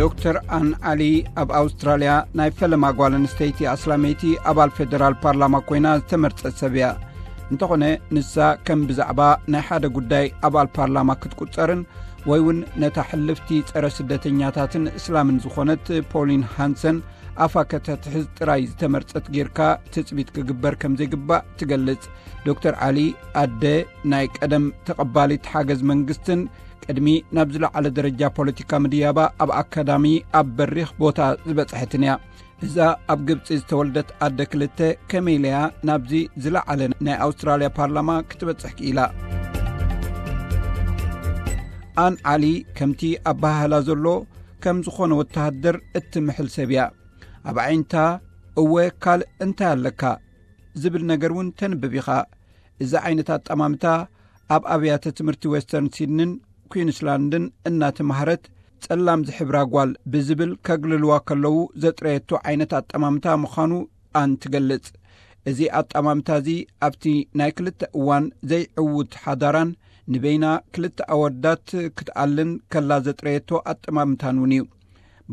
ዶክተር ኣን ዓሊ ኣብ ኣውስትራልያ ናይ ፈለማ ጓል ኣንስተይቲ ኣስላመይቲ ኣባል ፌደራል ፓርላማ ኮይና ዝተመርጸት ሰብ እያ። እንተኾነ፣ ንሳ ከም ብዛዕባ ናይ ሓደ ጉዳይ ኣባል ፓርላማ ክትቁጸርን ወይ እውን ነታ ሕልፍቲ ጸረ ስደተኛታትን እስላምን ዝኾነት ፖሊን ሃንሰን ኣፋ ከተትሕዝ ጥራይ ዝተመርጸት ጌርካ ትጽቢት ክግበር ከም ዘይግባእ ትገልጽ። ዶክተር ዓሊ፣ ኣደ ናይ ቀደም ተቐባሊት ሓገዝ መንግስትን ቅድሚ ናብ ዝለዓለ ደረጃ ፖለቲካ ምድያባ ኣብ ኣካዳሚ ኣብ በሪኽ ቦታ ዝበጽሐትን እያ። እዛ ኣብ ግብጺ ዝተወልደት ኣደ ክልተ ከመይ ኢለያ ናብዚ ዝለዓለ ናይ ኣውስትራልያ ፓርላማ ክትበጽሕ ክኢላ? ኣን ዓሊ ከምቲ ኣበሃህላ ዘሎ ከም ዝኾነ ወተሃደር እትምሕል ሰብ እያ። ኣብ ዓይንታ እወ ካልእ እንታይ ኣለካ ዝብል ነገር እውን ተንብብ ኢኻ። እዚ ዓይነት ኣጠማምታ ኣብ ኣብያተ ትምህርቲ ዌስተርን ሲድኒን ኩዊንስላንድን እናተማህረት ጸላም ዝሕብራ ጓል ብዝብል ከግልልዋ ከለዉ ዘጥረየቶ ዓይነት ኣጠማምታ ምዃኑ ኣን ትገልጽ። እዚ ኣጠማምታ እዚ ኣብቲ ናይ ክልተ እዋን ዘይዕዉት ሓዳራን ንበይና ክልተ ኣወዳት ክትኣልን ከላ ዘጥረየቶ ኣጠማምታን እውን እዩ።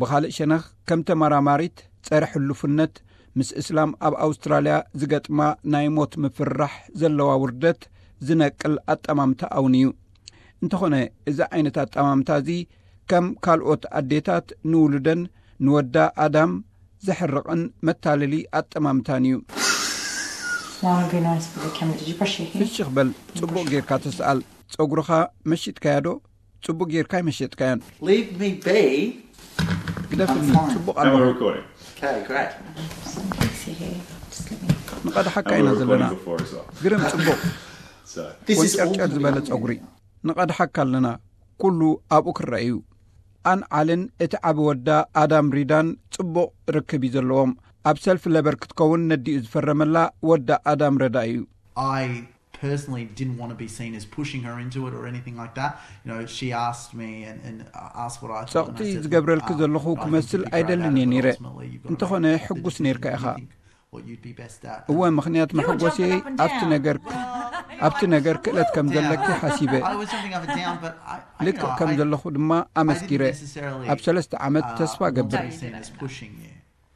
ብኻልእ ሸነኽ ከም ተመራማሪት ጸረ ሕሉፍነት ምስ እስላም ኣብ ኣውስትራልያ ዝገጥማ ናይ ሞት ምፍርራሕ ዘለዋ ውርደት ዝነቅል ኣጠማምታ እውን እዩ። እንተኾነ እዚ ዓይነት ኣጠማምታ እዚ ከም ካልኦት ኣዴታት ንውሉደን ንወዳ ኣዳም ዘሕርቕን መታለሊ ኣጠማምታን እዩ። Why don't be nice with the camera? Did you brush your hair? ፍሽኽ በል፣ ጽቡቕ ጌርካ ተስኣል። ጸጉርኻ መሽጥካዮ ዶ? ጽቡቕ ጌርካ ኣይመሸጥካዮን። Leave me be. ግደፍኒ፣ ጽቡቕ And we're ኣለኹ። Recording. Okay, great. Fix your hair. Just let me. ንቐድሓካ And ኢና we're ዘለና። Recording before as well. ግርም ጽቡቕ። This is all ወንጨርጨር ዝበለ ጸጉሪ። ንቐድሓካ ኣለና። ኩሉ ኣብኡ ክረአ እዩ። ኣን ዓልን እቲ ዓቢ ወዳ ኣዳም ሪዳን ጽቡቕ ርክብ እዩ ዘለዎም። ኣብ ሰልፊ ለበር ክትከውን ነዲኡ ዝፈረመላ ወዳ ኣዳም ረዳ እዩ። I personally didn't want to be seen as pushing her into it or anything like that. You know, she asked me and, and asked what I thought. ጸቕጢ ዝገብረልኪ ዘለኹ ክመስል ኣይደልን እየ ነይረ። እንተኾነ ሕጉስ ነይርካ ኢኻ። እወ፣ ምኽንያት መሐጎስየ ኣብቲ ነገር ኣብቲ ነገር ክእለት ከም ዘለኪ ሓሲበ። ልክእ ከም ዘለኹ ድማ ኣመስኪረ። ኣብ ሰለስተ ዓመት ተስፋ ገብር።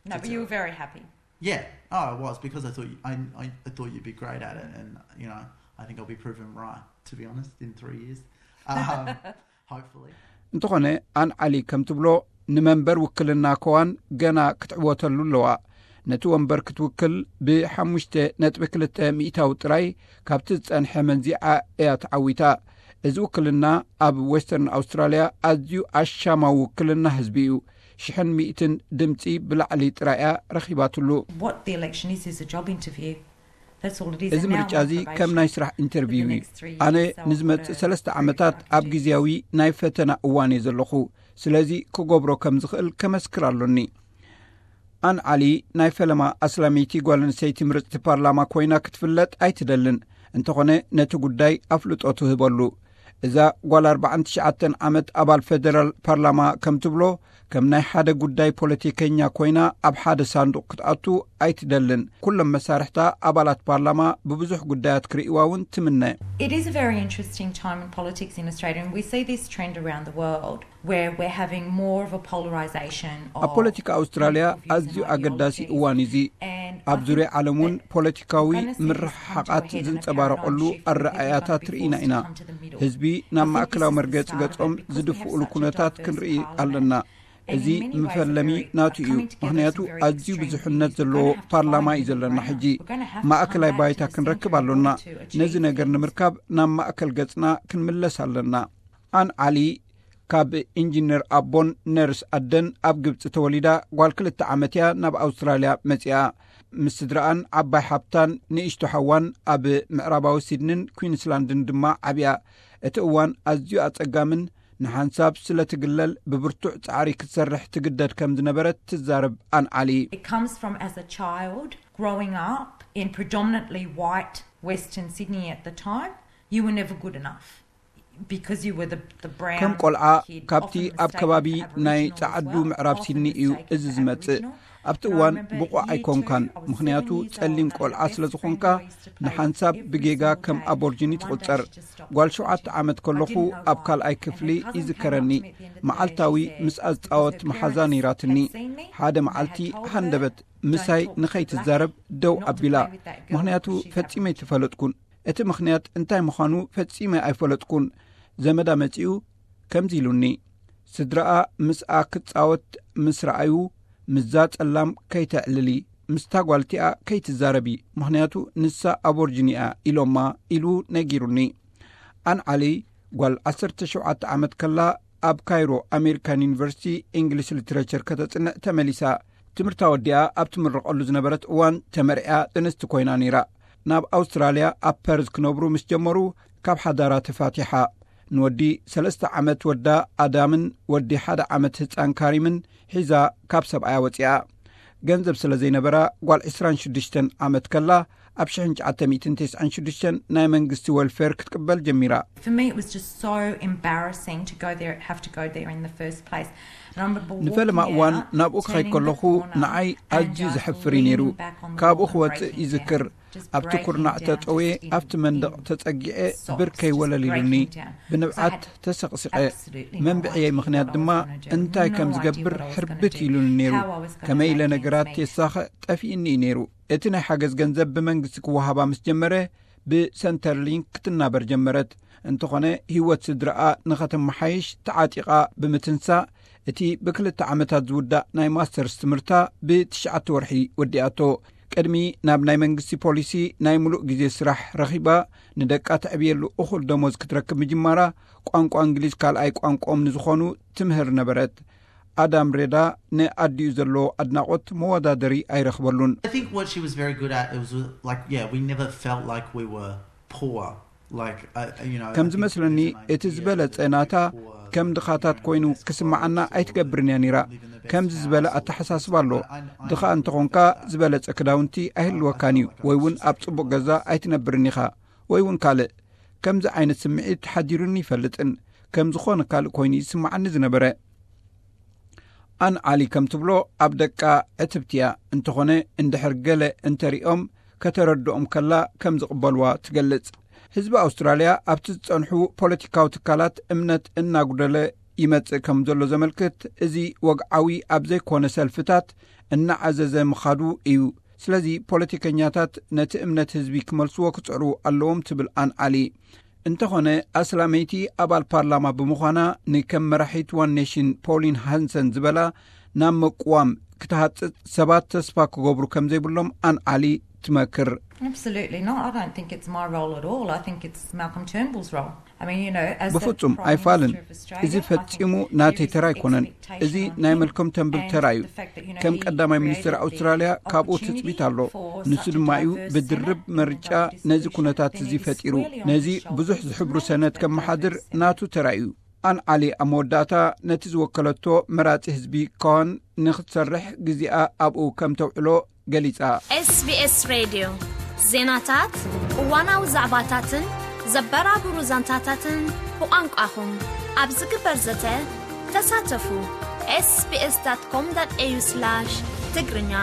No, but you were very happy. Yeah, oh, I was because I thought you, I, I, I thought you'd be great at it, and you know, I think I'll be proven right. To be honest, in three years, um, hopefully. እንተኾነ ኣን ዓሊ ከም ትብሎ ንመንበር ውክልና ከዋን ገና ክትዕወተሉ ኣለዋ። ነቲ ወንበር ክትውክል ብሓሙሽተ ነጥቢ ክልተ ሚእታዊ ጥራይ ካብቲ ዝጸንሐ መንዚዓ እያ ተዓዊታ። እዚ ውክልና ኣብ ዌስተርን ኣውስትራልያ ኣዝዩ ኣሻማዊ ውክልና ህዝቢ እዩ። ሽሕን ሚእትን ድምጺ ብላዕሊ ጥራይ እያ ረኺባትሉ። What the election is is a job interview. That's all it is. እዚ ምርጫ እዚ ከም ናይ ስራሕ ኢንተርቪው እዩ። ኣነ ንዝመጽእ ሰለስተ ዓመታት ኣብ ግዜያዊ ናይ ፈተና እዋን እየ ዘለኹ። ስለዚ ክገብሮ ከም ዝኽእል ከመስክር ኣሎኒ። ኣን ዓሊ ናይ ፈለማ ኣስላመይቲ ጓል ኣንስተይቲ ምርጽቲ ፓርላማ ኮይና ክትፍለጥ ኣይትደልን። እንተኾነ ነቲ ጉዳይ ኣፍልጦ ትህበሉ። እዛ ጓል ኣርባዓን ትሽዓተን ዓመት ኣባል ፌደራል ፓርላማ ከም ትብሎ፣ ከም ናይ ሓደ ጉዳይ ፖለቲከኛ ኮይና ኣብ ሓደ ሳንዱቕ ክትኣቱ ኣይትደልን። ኩሎም መሳርሕታ ኣባላት ፓርላማ ብብዙሕ ጉዳያት ክርእይዋ እውን ትምነ። It is a very interesting time in politics in Australia, and we see this trend around the world where we're having more of a polarisation. ኣብ ፖለቲካ ኣውስትራልያ ኣዝዩ ኣገዳሲ እዋን እዚ። ኣብ ዙርያ ዓለም እውን ፖለቲካዊ ምርሕሓቓት ዝንጸባረቐሉ ኣረኣያታት ርኢና ኢና። ህዝቢ ናብ ማእከላዊ መርገጺ ገጾም ዝድፍኡሉ ኩነታት ክንርኢ ኣለና። እዚ መፈለሚ ናቱ እዩ። ምኽንያቱ ኣዝዩ ብዙሕነት ዘለዎ ፓርላማ እዩ ዘለና። ሕጂ ማእከላይ ባይታ ክንረክብ ኣሎና። ነዚ ነገር ንምርካብ ናብ ማእከል ገጽና ክንምለስ ኣለና። ኣን ዓሊ ካብ ኢንጂነር ኣቦን ነርስ ኣደን ኣብ ግብጺ ተወሊዳ፣ ጓል ክልተ ዓመት እያ ናብ ኣውስትራልያ መጺኣ። ምስ ስድራኣን ዓባይ ሓብታን ንእሽቶ ሓዋን ኣብ ምዕራባዊ ሲድኒን ኩዊንስላንድን ድማ ዓብያ። እቲ እዋን ኣዝዩ ኣጸጋምን ንሓንሳብ ስለ ትግለል ብብርቱዕ ጻዕሪ ክትሰርሕ ትግደድ ከም ዝነበረት ትዛረብ ኣን ዓሊ። It comes from as a child growing up in predominantly white Western Sydney at the time, you were never good enough because you were the, the brown ከም ቆልዓ kid, ካብቲ often ኣብ ከባቢ mistaken for ናይ Aboriginal as ጸዓዱ well, ምዕራብ often ሲድኒ እዩ mistaken እዚ for ዝመጽእ። Aboriginal. ኣብቲ እዋን ብቑዕ ኣይኮንካን፣ ምኽንያቱ ጸሊም ቆልዓ ስለ ዝኾንካ፣ ንሓንሳብ ብጌጋ ከም ኣቦርጅኒ ትቑጸር። ጓል ሸውዓተ ዓመት ከለኹ ኣብ ካልኣይ ክፍሊ ይዝከረኒ፣ መዓልታዊ ምስኣ ዝጻወት መሓዛ ነይራትኒ። ሓደ መዓልቲ ሃንደበት ምሳይ ንኸይትዛረብ ደው ኣቢላ፣ ምኽንያቱ ፈጺመ ኣይተፈለጥኩን። እቲ ምኽንያት እንታይ ምዃኑ ፈጺመ ኣይፈለጥኩን። ዘመዳ መጺኡ ከምዚ ኢሉኒ፣ ስድራኣ ምስኣ ክትጻወት ምስ ረኣዩ፣ ምስዛ ጸላም ከይተዕልሊ፣ ምስታ ጓልቲኣ ከይትዛረቢ፣ ምኽንያቱ ንሳ ኣቦርጅኒ እያ ኢሎማ፣ ኢሉ ነጊሩኒ። ኣን ዓሊ ጓል ዓሰርተ ሸውዓተ ዓመት ከላ ኣብ ካይሮ ኣሜሪካን ዩኒቨርሲቲ እንግሊሽ ሊትሬቸር ከተጽንዕ ተመሊሳ። ትምህርታ ወዲኣ ኣብ ትምረቐሉ ዝነበረት እዋን ተመርዕያ ጥንስቲ ኮይና ነይራ። ናብ ኣውስትራልያ ኣብ ፐርዝ ክነብሩ ምስ ጀመሩ ካብ ሓዳራ ተፋቲሓ። ንወዲ ሰለስተ ዓመት ወዳ ኣዳምን ወዲ ሓደ ዓመት ህጻን ካሪምን ሒዛ ካብ ሰብኣያ ወጺኣ። ገንዘብ ስለ ዘይነበራ ጓል ዕስራን ሽዱሽተን ዓመት ከላ ኣብ ሽሕን ትሽዓተ ሚእትን ተስዓን ሽዱሽተን ናይ መንግስቲ ወልፌር ክትቅበል ጀሚራ። For me, it was just so embarrassing to go there, have to go there in the first place. And I remember walking ንፈለማ እዋን out, ናብኡ ክኸይድ turning the ከለኹ corner, ንዓይ and ኣዝዩ just ዘሕፍር እዩ ነይሩ። leaning back on the ካብኡ wall and ክወጽእ breaking ይዝክር። down, just ኣብቲ breaking ኩርናዕ down, ተጠውየ just in, ኣብቲ መንደቕ in ተጸጊዐ sobs, ብርከይ just ወለል ኢሉኒ። breaking down. 'Cause I ብንብዓት had ተሰቕሲቐ። absolutely no መንብዕየይ idea ምኽንያት what I was ድማ gonna do. እንታይ No ከም idea ዝገብር what I was ሕርብት gonna do, ኢሉኒ ነይሩ። how I was gonna ከመይ ኢለ make ends ነገራት meet. የሳኽዕ ጠፊእኒ እዩ ነይሩ። እቲ ናይ ሓገዝ ገንዘብ ብመንግስቲ ክወሃባ ምስ ጀመረ፣ ብሰንተርሊንክ ክትናበር ጀመረት። እንተኾነ ህይወት ስድራኣ ንኸተመሓይሽ ተዓጢቓ ብምትንሳእ፣ እቲ ብክልተ ዓመታት ዝውዳእ ናይ ማስተርስ ትምህርታ ብትሽዓተ ወርሒ ወዲኣቶ። ቅድሚ ናብ ናይ መንግስቲ ፖሊሲ ናይ ምሉእ ግዜ ስራሕ ረኺባ፣ ንደቃ ተዕብየሉ እኹል ደሞዝ ክትረክብ ምጅማራ፣ ቋንቋ እንግሊዝ ካልኣይ ቋንቋኦም ንዝኾኑ ትምህር ነበረት። ኣዳም ሬዳ ንኣዲኡ ዘለዎ ኣድናቖት መወዳደሪ ኣይረኽበሉን። I think what she was very good at, it was like, yeah, we never felt like we were poor. Like, uh, you know, ከም ዝመስለኒ፣ እቲ ዝበለጸ ናታ ከም ድኻታት ኮይኑ ክስምዓና ኣይትገብርን እያ ነይራ። ከምዚ ዝበለ ኣተሓሳስባ ኣሎ። ድኻ እንተኾንካ ዝበለጸ ክዳውንቲ ኣይህልወካን እዩ፣ ወይ እውን ኣብ ጽቡቕ ገዛ ኣይትነብርን ኢኻ፣ ወይ እውን ካልእ። ከምዚ ዓይነት ስምዒት ሓዲሩኒ ይፈልጥን ከም ዝኾነ ካልእ ኮይኑ ይስምዓኒ ዝነበረ። ኣን ዓሊ ከም ትብሎ፣ ኣብ ደቃ ዕትብቲ እያ። እንተኾነ፣ እንድሕር ገለ እንተሪኦም ከተረድኦም ከላ ከም ዝቕበልዋ ትገልጽ። ህዝቢ ኣውስትራልያ ኣብቲ ዝጸንሑ ፖለቲካዊ ትካላት እምነት እናጉደለ ይመጽእ ከም ዘሎ ዘመልክት፣ እዚ ወግዓዊ ኣብ ዘይኮነ ሰልፍታት እናዓዘዘ ምኻዱ እዩ። ስለዚ ፖለቲከኛታት ነቲ እምነት ህዝቢ ክመልስዎ ክጽዕሩ ኣለዎም ትብል ኣን ዓሊ። እንተኾነ ኣስላመይቲ ኣባል ፓርላማ ብምዃና ንከም መራሒት ዋን ኔሽን ፖሊን ሃንሰን ዝበላ ናብ ምቅዋም ክትሃጽጽ ሰባት ተስፋ ክገብሩ ከም ዘይብሎም ኣን ዓሊ ትመክር። Absolutely not. I don't think it's my role at all. I think it's Malcolm Turnbull's role. I mean, you know, as the ብፍጹም Prime ኣይፋልን። Minister of Australia, እዚ I think ፈጺሙ there ናተይ is ተራ ኣይኮነን። expectation እዚ on ናይ him መልከም ተንብል and ተራ እዩ። the fact that, you know, ከም he ቀዳማይ ሚኒስትር created the ኣውስትራልያ ካብኡ opportunity ትጽቢት ኣሎ። for ንሱ such a ድማ እዩ diverse ብድርብ Senate and ምርጫ without ነዚ discussion, ኩነታት then እዚ it is ፈጢሩ። squarely on ነዚ his shoulders ብዙሕ to ዝሕብሩ make ሰነድ a ከመሓድር diverse Senate. ናቱ ተራ እዩ። ኣን ዓሊ ኣብ መወዳእታ ነቲ ዝወከለቶ መራጺ ህዝቢ ከዋን ንክትሰርሕ ግዜኣ ኣብኡ ከም ተውዕሎ ገሊጻ። SBS ሬድዮ ዜናታት፣ እዋናዊ ዛዕባታትን ዘበራብሩ ዛንታታትን ብቋንቋኹም ኣብ ዝግበር ዘተ ተሳተፉ። sbs.com.au/ትግርኛ